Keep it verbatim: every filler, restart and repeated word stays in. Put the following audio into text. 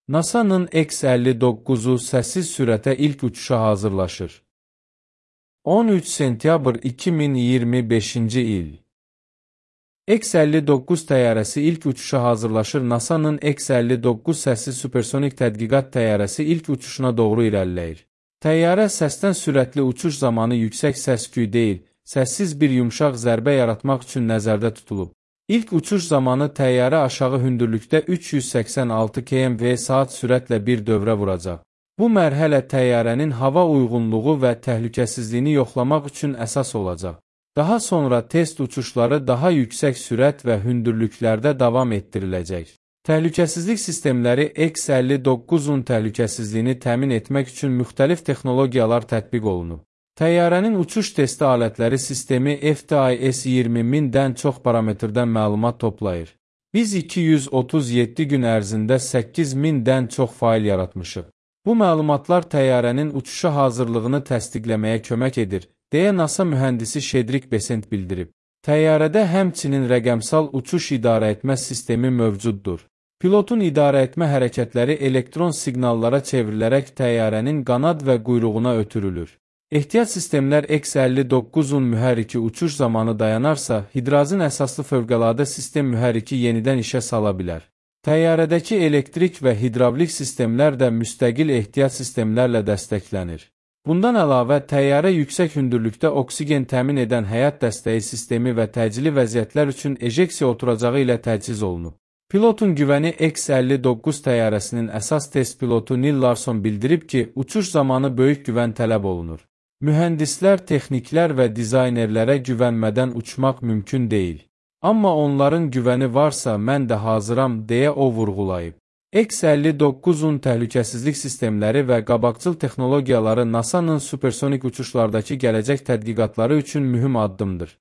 NASA'nın X əlli doqquzu səssiz sürətə ilk uçuşa hazırlaşır. on üç sentyabr iki min iyirmi beşinci il. X əlli doqquz təyyarəsi ilk uçuşa hazırlaşır. NASA'nın X əlli doqquz səssiz supersonik tədqiqat təyyarəsi ilk uçuşuna doğru irəliləyir. Təyyarə səsdən sürətli uçuş zamanı yüksək səs-küy deyil, səssiz bir yumşaq zərbə yaratmaq üçün nəzərdə tutulub. İlk uçuş zamanı təyyarə aşağı hündürlükdə üç yüz səksən altı kilometr saat sürətlə bir dövrə vuracaq. Bu mərhələ təyyarənin hava uyğunluğu və təhlükəsizliyini yoxlamaq üçün əsas olacaq. Daha sonra test uçuşları daha yüksək sürət və hündürlüklərdə davam etdiriləcək. Təhlükəsizlik sistemləri X əlli doqquzun təhlükəsizliyini təmin etmək üçün müxtəlif texnologiyalar tətbiq olunub. Təyyarənin uçuş testi alətləri sistemi F T I S iyirmi mindən çox parametrdən məlumat toplayır. Biz iki yüz otuz yeddi gün ərzində səkkiz mindən çox fail yaratmışıq. Bu məlumatlar təyyarənin uçuşa hazırlığını təsdiqləməyə kömək edir, deyə NASA mühəndisi Şedrik Besent bildirib. Təyyarədə həmçinin rəqəmsal uçuş idarəetmə sistemi mövcuddur. Pilotun idarəetmə hərəkətləri elektron siqnallara çevrilərək təyyarənin qanad və quyruğuna ötürülür. Ehtiyat sistemlər X əlli doqquzun mühərriki uçuş zamanı dayanarsa, hidrazin əsaslı fövqəladə sistem mühərriki yenidən işə sala bilər. Təyyarədəki elektrik və hidravlik sistemlər də müstəqil ehtiyat sistemlərlə dəstəklənir. Bundan əlavə, təyyarə yüksək hündürlükdə oksigen təmin edən həyat dəstəyi sistemi və təcili vəziyyətlər üçün ejeksiya oturacağı ilə təchiz olunub. Pilotun güvəni X əlli doqquz təyyarəsinin əsas test pilotu Neil Larson bildirib ki, uçuş zamanı böyük güvən tələb olunur. Mühəndislər, texniklər və dizaynerlərə güvənmədən uçmaq mümkün deyil. Amma onların güvəni varsa, mən də hazıram, deyə o vurğulayıb. X əlli doqquzun təhlükəsizlik sistemləri və qabaqcıl texnologiyaları NASA'nın supersonik uçuşlardakı gələcək tədqiqatları üçün mühüm addımdır.